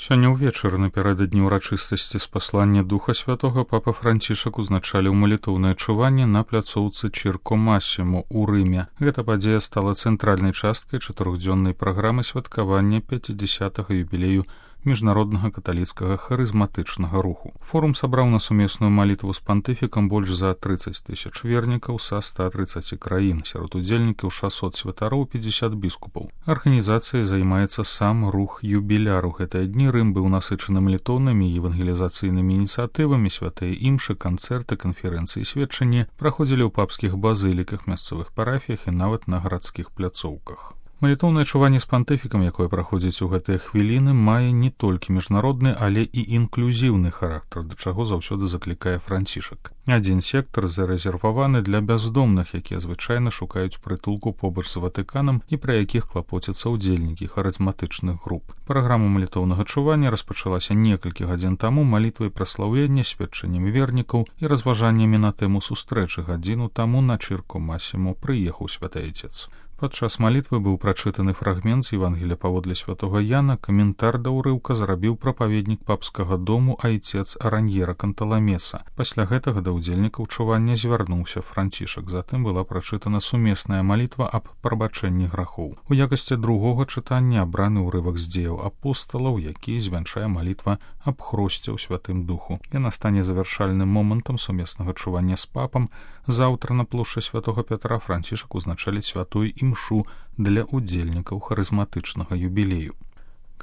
Сёння ўвечары напярэдадні ўрачыстасці спаслання Духа Святога папа Францішак узначаліў малітоўнае чуванне на пляцоўцы Чірко Масімо ў Рыме. Гэта падзея стала цэнтральнай часткай 4-дзённай праграмы святкавання 50-га юбілею міжнароднага каталіцкага харызматычнага руху. Форум сабраў на сумесную малітву з пантыфікам больш за 30 тысяч вернікаў са 130 краін, сярод удзельнікаў 600 святароў, 50 біскупаў. Арганізацыяй займаецца сам рух юбіляр. У гэтыя дні Рым быў насычаны малітоўнымі і евангелізацыйнымі ініцыятывамі, святыя імшы, канцэрты, канферэнцыі, сведчанні праходзілі ў папскіх базыліках, мясцовых парафіях і нават на гарадскіх пляцоўках. Малітоўнае чуванне з пантыфікам, якое праходзіць у гэтыя хвіліны, мае не толькі міжнародны, але і інклюзіўны характар, да чаго заўсёды заклікае Францішак. Адзін сектар зарэзерваваны для бяздомных, якія звычайна шукаюць прытулку побач з Ватыканам і пра якіх клапоцяцца ўдзельнікі харызматычных груп. Праграма малітоўнага чування распачалася некалькі гадзін таму малітвай праслаўлення, сведчаннямі вернікаў і разважаннямі на тэму сустрэчы. Гадзіну таму на Чірко Масімо прыехаў святы Айцец. Падчас малітвы быў прачытаны фрагмент з Евангелія паводле святога Яна. Каментар да ўрыўка зрабіў прапаведнік папскага дому Айцец Араньера Канталамеса. Пасля гэтага да ўдзельнікаў чування звярнуўся Францішак. Затым была прачытана сумесная малітва аб прабачэнні грахоў. У якасці другога чытання абраны ўрывак з дзеяў апосталаў, які звянчае малітва аб хросце ў Святым Духу. Яна стане завяршальным момантам сумеснага чування з папам. Заўтра на плошчы святога Пятра Францішак узначаліць святую імшу для ўдзельнікаў харызматычнага юбілею.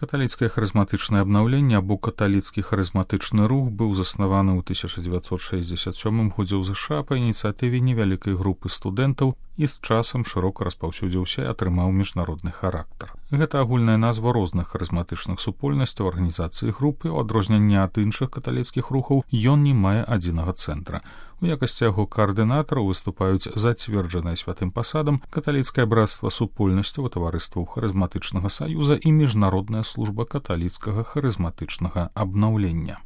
Каталіцкае харызматычнае абнаўленне або каталіцкі харызматычны рух быў заснаваны ў 1967 годзе ў ЗША па ініцыятыве невялікай групы студэнтаў і з часам шырока распаўсюдзіўся і атрымаў міжнародны характар. Гэта агульная назва розных харызматычных супольнасцяў, арганізацыі групы. У адрозненні ад іншых каталіцкіх рухаў ён не мае адзінага цэнтра. У якасці яго каардынатараў выступаюць зацверджаныя святым пасадам каталіцкае брацтва супольнасцяў, таварыстваў харызматычнага саюза і міжнародная служба каталіцкага харызматычнага абнаўлення.